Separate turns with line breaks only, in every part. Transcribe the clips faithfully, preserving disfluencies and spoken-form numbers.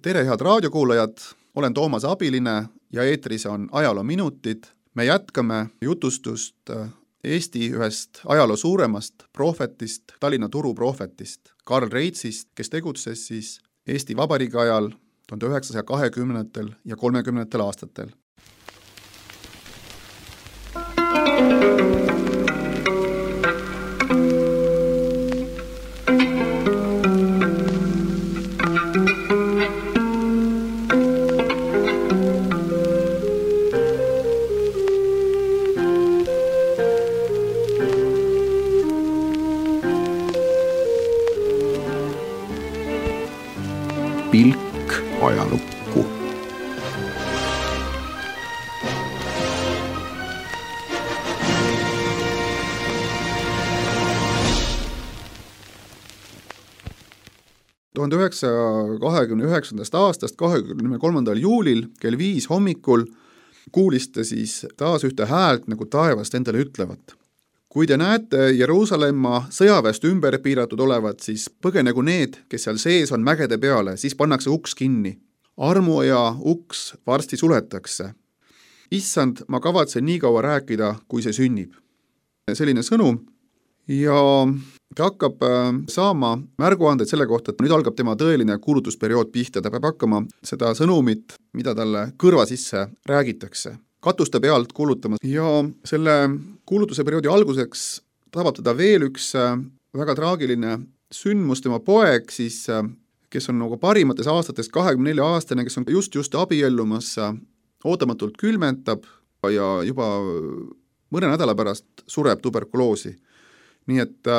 tere, head raadiokuulajad, olen Toomas Abiline ja eetris on Ajaloo minutid. Me jätkame jutustust Eesti ühest ajaloo suuremast prohvetist, Tallinna turuprohvetist, Karl Reitzist, kes tegutses siis Eesti Vabariigi ajal tuhande üheksasaja kahekümnendatel ja kolmekümnendatel aastatel.
Pilk ajalukku.
tuhande üheksasaja kahekümne üheksandast aastast kahekümne kolmandal juulil kell viis hommikul kuulis ta siis taas ühte häält, nagu taevast endale ütlevat. Kui te näete Jeruusalemma sõjaväest ümber piiratud olevat, siis põgenegu need, kes seal sees on mägede peale, siis pannakse uks kinni. Armuaja uks varsti suletakse. Issand, ma kavatsen nii kaua rääkida, kui see sünnib. Selline sõnum ja ta hakkab saama märguandeid selle kohta, et nüüd algab tema tõeline kuulutusperiood pihta. Ta peab hakkama seda sõnumit, mida talle kõrva sisse räägitakse, katuste pealt kuulutama ja selle kuulutuse perioodi alguseks tabab teda veel üks väga traagiline sündmus. Tema poeg siis, kes on nagu parimates aastates kahekümne nelja aastane, kes on just just abiellumas, ootamatult külmentab ja juba mõne nädala pärast sureb tuberkuloosi. Nii et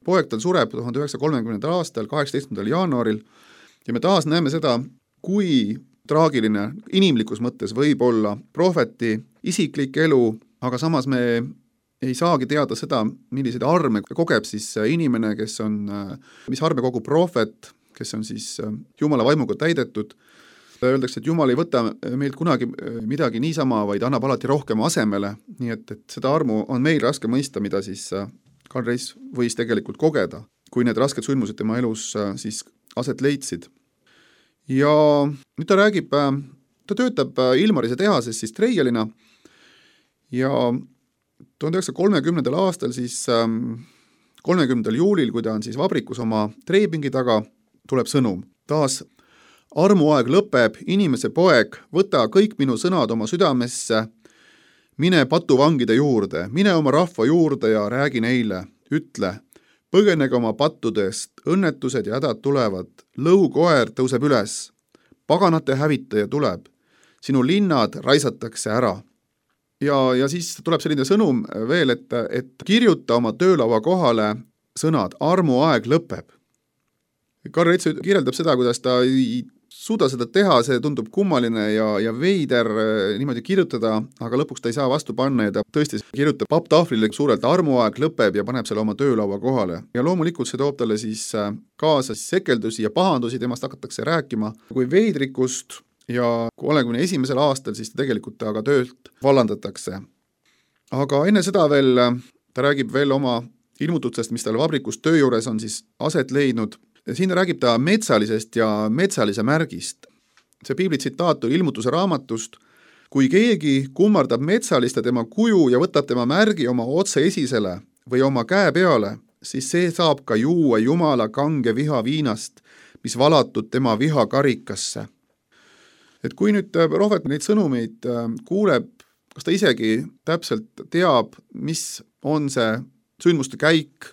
poeg tal sureb tuhande üheksasaja kolmekümnendal aastal, kaheksateistkümnendal jaanuaril ja me taas näeme seda, kui traagiline inimlikus mõttes võib olla prohveti isiklik elu, aga samas me ei saagi teada seda, milliseid arme kogeb siis inimene, kes on, mis arme kogub prohvet, kes on siis Jumala vaimuga täidetud. Öeldakse, et Jumal ei võta meilt kunagi midagi niisama, vaid annab alati rohkem asemele, nii et, et seda armu on meil raske mõista, mida siis Karl Reits võis tegelikult kogeda, kui need rasked sündmused tema elus siis aset leidsid. Ja nüüd ta räägib, ta töötab Ilmarise tehases siis treialina ja tuhande üheksasaja kolmekümnendal aastal siis kolmekümnendal juulil, kui ta on siis vabrikus oma treipingi taga, tuleb sõnum. Taas armuaeg lõpeb, inimese poeg, võta kõik minu sõnad oma südamesse, mine patuvangide juurde, mine oma rahva juurde ja räägi neile, ütle, põgenege oma pattudest, õnnetused ja hädad tulevad, lõukoer tõuseb üles, paganate hävitaja tuleb, sinu linnad raisatakse ära. Ja, ja siis tuleb selline sõnum veel, et, et kirjuta oma töölaua kohale sõnad, armuaeg lõpeb. Karl Reits kirjeldab seda, kuidas ta ei suuda seda teha, see tundub kummaline ja, ja veider niimoodi kirjutada, aga lõpuks ta ei saa vastu panna ja ta tõesti kirjutab papptahvlile suurelt armuaeg lõpeb ja paneb selle oma töölaua kohale. Ja loomulikult see toob talle siis kaasa sekeldusi ja pahandusi, temast hakatakse rääkima kui veidrikust ja kolmekümne esimesel aastal siis ta tegelikult aga töölt vallandatakse. Aga enne seda veel ta räägib veel oma ilmutustest, mis tal vabrikus töö juures on siis aset leidnud. Siin räägib ta metsalisest ja metsalise märgist. See piibli tsitaat on ilmutuse raamatust. Kui keegi kummardab metsalist ja tema kuju ja võtab tema märgi oma otse esisele või oma käe peale, siis see saab ka juua Jumala kange viha viinast, mis valatud tema viha karikasse. Et kui nüüd prohvet neid sõnumeid kuuleb, kas ta isegi täpselt teab, mis on see sündmuste käik,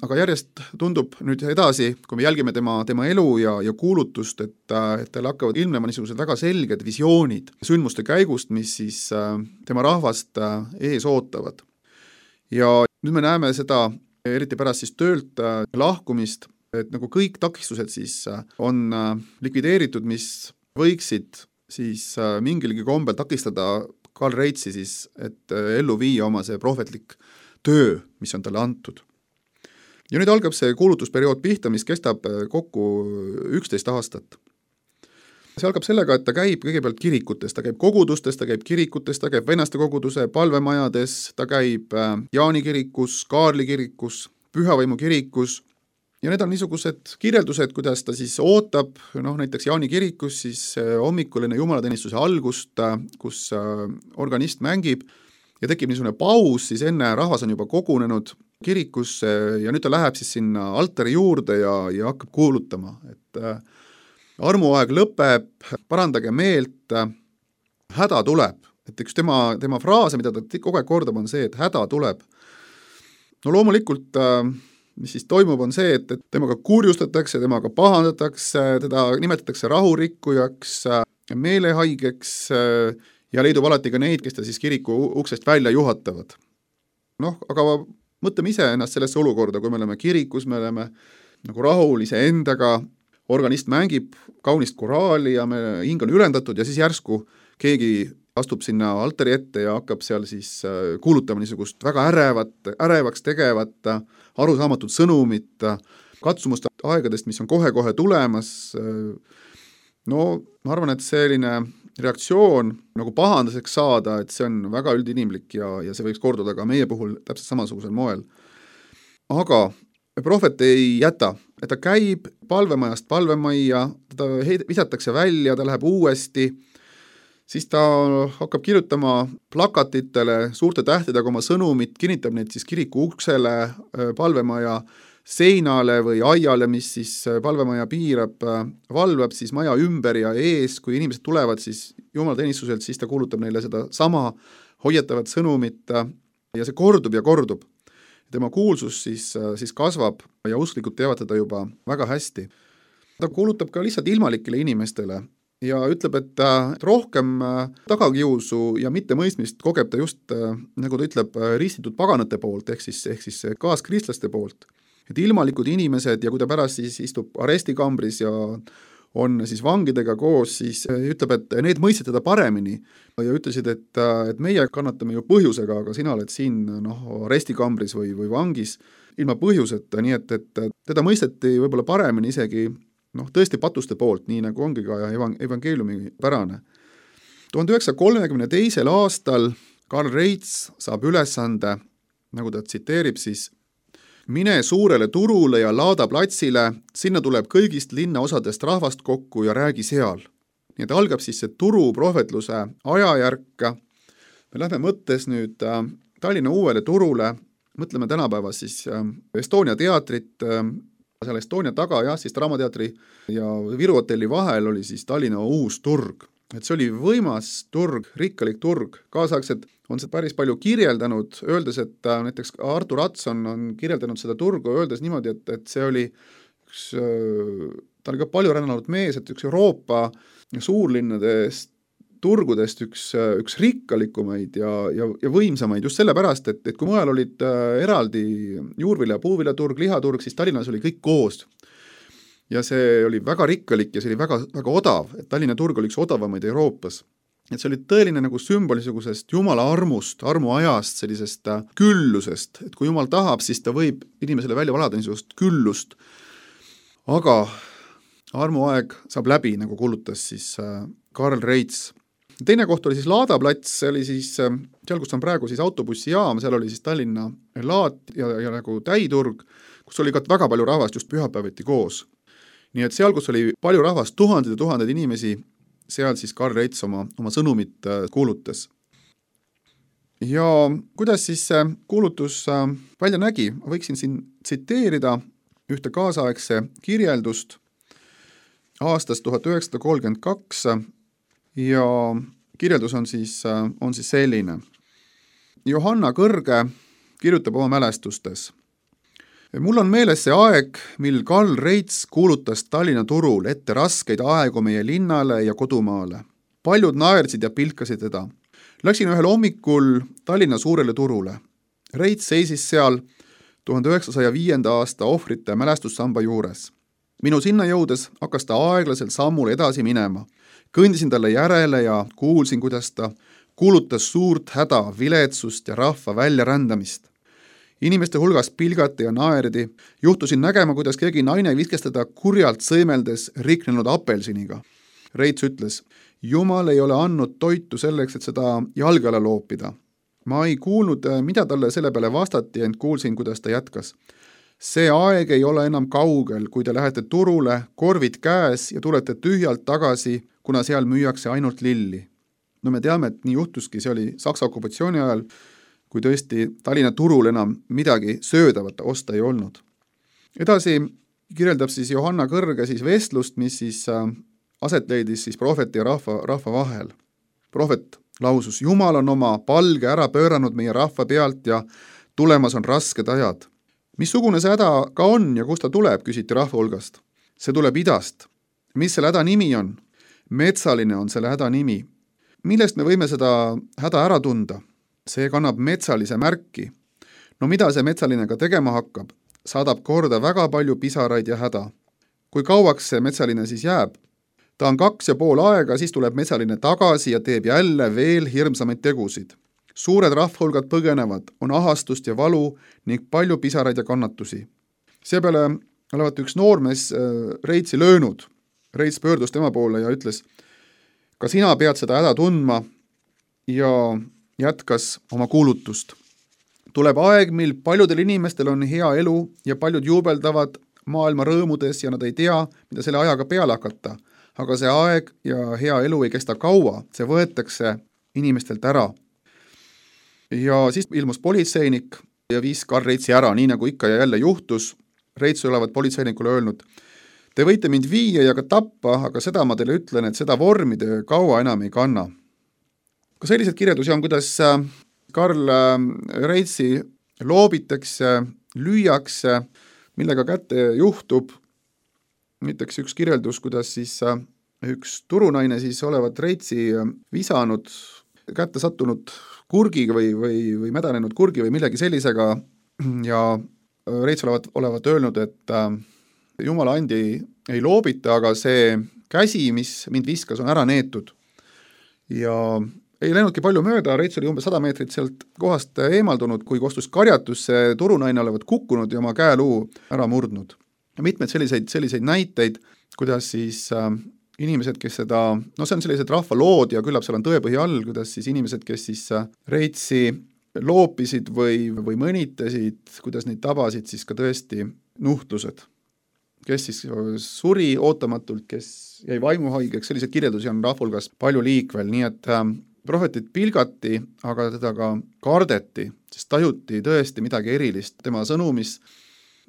aga järjest tundub nüüd edasi, kui me jälgime tema, tema elu ja, ja kuulutust, et, et tal hakkavad ilmnema niisugused väga selged visioonid sündmuste käigust, mis siis tema rahvast ees ootavad. Ja nüüd me näeme seda, eriti pärast siis töölt lahkumist, et nagu kõik takistused siis on likvideeritud, mis võiksid siis mingilgi kombel takistada Karl Reitsi siis, et ellu viia oma see prohvetlik töö, mis on talle antud. Ja nüüd algab see kuulutusperiood pihta, mis kestab kokku üksteist aastat. See algab sellega, et ta käib kõigepealt kirikutes, ta käib kogudustes, ta käib kirikutes, ta käib vennaste koguduse palvemajades, ta käib Jaani kirikus, Kaarli kirikus, Pühavaimu kirikus ja need on niisugused kirjeldused, kuidas ta siis ootab, noh näiteks Jaani kirikus siis hommikul enne jumalateenistuse algust, kus organist mängib ja tekib niisugune paus, siis enne rahvas on juba kogunenud kirikusse ja nüüd ta läheb siis sinna altari juurde ja, ja hakkab kuulutama, et armuaeg lõpeb, parandage meelt, häda tuleb. Et üks tema, tema fraase, mida ta kogu aeg kordab, on see, et häda tuleb. No loomulikult, mis siis toimub, on see, et, et temaga kurjustatakse, temaga pahandatakse, teda nimetatakse rahurikkujaks, meelehaigeks ja leidub alati ka neid, kes ta siis kiriku uksest välja juhatavad. Noh, aga mõtleme ise ennast sellesse olukorda, kui me oleme kirikus, me oleme nagu rahul ise endaga, organist mängib kaunist koraali ja me hing on ülendatud ja siis järsku keegi astub sinna altari ette ja hakkab seal siis kuulutama niisugust väga ärevat, ärevaks tegevat, arusaamatut sõnumit, katsumust aegadest, mis on kohe-kohe tulemas. No ma arvan, et selline reaktsioon nagu pahandaseks saada, et see on väga üldinimlik ja, ja see võiks korduda ka meie puhul täpselt samasugusel moel. Aga prohvet ei jäta, et ta käib palvemajast palvemajja, teda visatakse välja, ta läheb uuesti, siis ta hakkab kirjutama plakatitele suurte tähtedega oma sõnumit, kinnitab neid siis kiriku uksele, palvemaja seinale või aiale, mis siis palvemaja piirab, valvab siis maja ümber ja ees, kui inimesed tulevad siis jumalateenistuselt, siis ta kuulutab neile seda sama hoiatavat sõnumit ja see kordub ja kordub. Tema kuulsus siis, siis kasvab ja usklikud teavad teda juba väga hästi. Ta kuulutab ka lihtsalt ilmalikele inimestele ja ütleb, et rohkem tagakiusu ja mittemõistmist kogeb ta just, nagu ta ütleb, ristitud paganate poolt, ehk siis, ehk siis kaaskristlaste poolt. Et ilmalikud inimesed ja kui ta pärast siis istub arestikambris ja on siis vangidega koos, siis ütleb, et need mõistsid teda paremini ja ütlesid, et, et meie kannatame ju põhjusega, aga sina oled siin noh, arestikambris või, või vangis ilma põhjuseta, nii et, et teda mõisteti võib-olla paremini isegi noh, tõesti patuste poolt, nii nagu ongi ka evangeeliumi pärane. tuhande üheksasaja kolmekümne teisel aastal Karl Reits saab ülesande, nagu ta tsiteerib siis, mine suurele turule ja Laada platsile, sinna tuleb kõigist linna osadest rahvast kokku ja räägi seal. Nii et algab siis see turu prohvetluse ajajärk. Me lähme mõttes nüüd Tallinna uuele turule, mõtleme tänapäeva siis Estonia teatrit, seal Estonia taga jah, siis Draamateatri ja Viru hotelli vahel oli siis Tallinna uus turg. Et see oli võimas turg, rikkalik turg, kaasaegselt on see päris palju kirjeldanud, öeldes, et näiteks Artur Atson on kirjeldanud seda turgu, öeldes niimoodi, et, et see oli üks, ta oli ka palju rännanud mees, et üks Euroopa suurlinnadest, turgudest üks, üks rikkalikumaid ja, ja, ja võimsamaid just sellepärast, et, et kui mujal olid eraldi juurvilja- ja puuviljaturg, lihaturg, siis Tallinnas oli kõik koos. Ja see oli väga rikkalik ja see oli väga, väga odav, et Tallinna turg oli üks odavamaid Euroopas. Et see oli tõeline nagu sümbolisugusest Jumala armust, armuajast, sellisest küllusest, et kui Jumal tahab, siis ta võib inimesele välja valada niisugust küllust. Aga armuaeg saab läbi, nagu kuulutas siis Karl Reits. Teine koht oli siis Laada plats, see oli siis seal, kus on praegu siis autobussijaam, seal oli siis Tallinna laat ja, ja nagu täiturg, kus oli ka väga palju rahvast just pühapäeviti koos. Nii et seal, kus oli palju rahvast, tuhanded ja tuhanded inimesi, seal siis Karl Reits oma, oma sõnumit kuulutas. Ja kuidas siis kuulutus välja nägi? Võiksin siin tsiteerida ühte kaasaegse kirjeldust aastast tuhat üheksasada kolmkümmend kaks ja kirjeldus on siis, on siis selline. Johanna Kõrge kirjutab oma mälestustes. Mul on meeles see aeg, mil Karl Reits kuulutas Tallinna turul ette raskeid aegu meie linnale ja kodumaale. Paljud naersid ja pilkasid teda. Läksin ühel hommikul Tallinna suurele turule. Reits seisis seal tuhande üheksasaja viienda aasta ohvrite mälestussamba juures. Minu sinna jõudes hakkas ta aeglaselt sammul edasi minema. Kõndisin talle järele ja kuulsin, kuidas ta kuulutas suurt häda, viletsust ja rahva väljarändamist. Inimeste hulgas pilgati ja naerdi, juhtusin nägema, kuidas keegi naine viskes teda kurjalt sõimeldes riknenud apelsiniga. Reits ütles, Jumal ei ole andnud toitu selleks, et seda jalge alla loopida. Ma ei kuulnud, mida talle selle peale vastati, ent kuulsin, kuidas ta jätkas. See aeg ei ole enam kaugel, kui te lähete turule, korvid käes ja tulete tühjalt tagasi, kuna seal müüakse ainult lilli. No me teame, et nii juhtuski, see oli Saksa okupatsiooni ajal, kui tõesti Tallinna turul enam midagi söödavat osta ei olnud. Edasi kirjeldab siis Johanna Kõrge siis vestlust, mis siis aset leidis siis prohveti ja rahva, rahva vahel. Prohvet lausus, Jumal on oma palge ära pööranud meie rahva pealt ja tulemas on rasked ajad. Missugune see häda ka on ja kust ta tuleb, küsiti rahva hulgast. See tuleb idast. Mis selle häda nimi on? Metsaline on selle häda nimi. Millest me võime seda häda ära tunda? See kannab metsalise märki. No mida see metsaline ka tegema hakkab? Saadab korda väga palju pisaraid ja häda. Kui kauaks see metsaline siis jääb? Ta on kaks ja pool aega, siis tuleb metsaline tagasi ja teeb jälle veel hirmsamaid tegusid. Suured rahvahulgad põgenevad, on ahastust ja valu ning palju pisaraid ja kannatusi. Seepeale olevat üks noormees Reitsi löönud. Reits pöördus tema poole ja ütles, ka sina pead seda häda tundma ja jätkas oma kuulutust. Tuleb aeg, mil paljudel inimestel on hea elu ja paljud juubeldavad maailma rõõmudes ja nad ei tea, mida selle ajaga peale hakata. Aga see aeg ja hea elu ei kesta kaua, see võetakse inimestelt ära. Ja siis ilmus politseinik ja viis Karl Reitsi ära, nii nagu ikka ja jälle juhtus. Reits olevat politseinikule öelnud, te võite mind viia ja ka tappa, aga seda ma teile ütlen, et seda vormi te kaua enam ei kanna. Ka sellised kirjeldusi on, kuidas Karl Reitsi loobitakse, lüüakse, millega kätte juhtub. Näiteks üks kirjeldus, kuidas siis üks turunaine siis olevat Reitsi visanud, kätte sattunud kurgiga või, või, või mädanenud kurgi või millegi sellisega ja Reits olevat, olevat öelnud, et äh, Jumala andi ei loobita, aga see käsi, mis mind viskas, on ära neetud. Ja ei läinudki palju mööda, Reits oli umbes sada meetrit sealt kohast eemaldunud, kui kostus karjatus, see turunaine olevat kukkunud ja oma käeluu ära murdnud. Ja mitmed selliseid, selliseid näiteid, kuidas siis äh, inimesed, kes seda, no see on sellised rahvalood ja küllap seal on tõepõhi all, kuidas siis inimesed, kes siis Reitsi loopisid või, või mõnitasid, kuidas neid tabasid siis ka tõesti nuhtlused. Kes siis suri ootamatult, kes jäi vaimuhaigeks, sellised kirjeldusi on rahvulgas palju liikvel, nii et äh, prohvetit pilgati, aga teda ka kardeti, sest tajuti tõesti midagi erilist tema sõnumis.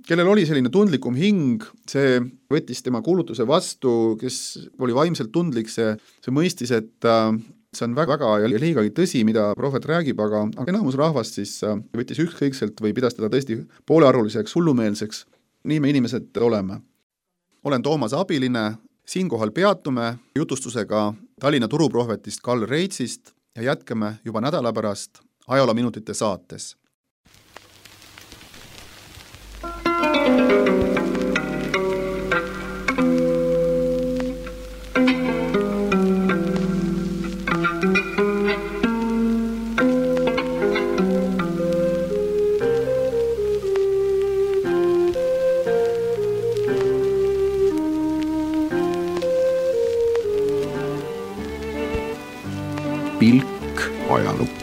Kellel oli selline tundlikum hing, see võttis tema kuulutuse vastu, kes oli vaimselt tundlik, see, see mõistis, et äh, see on väga, väga ja liigagi tõsi, mida prohvet räägib, aga, aga enamus rahvast siis äh, võttis ükskõikselt või pidas teda tõesti poolearvuliseks, hullumeelseks. Nii me inimesed oleme. Olen Toomas Abiline, siinkohal peatume jutustusega Tallinna turuprohvetist Karl Reitsist ja jätkame juba nädala pärast ajaloominutite saates.
Pilk ajalukku.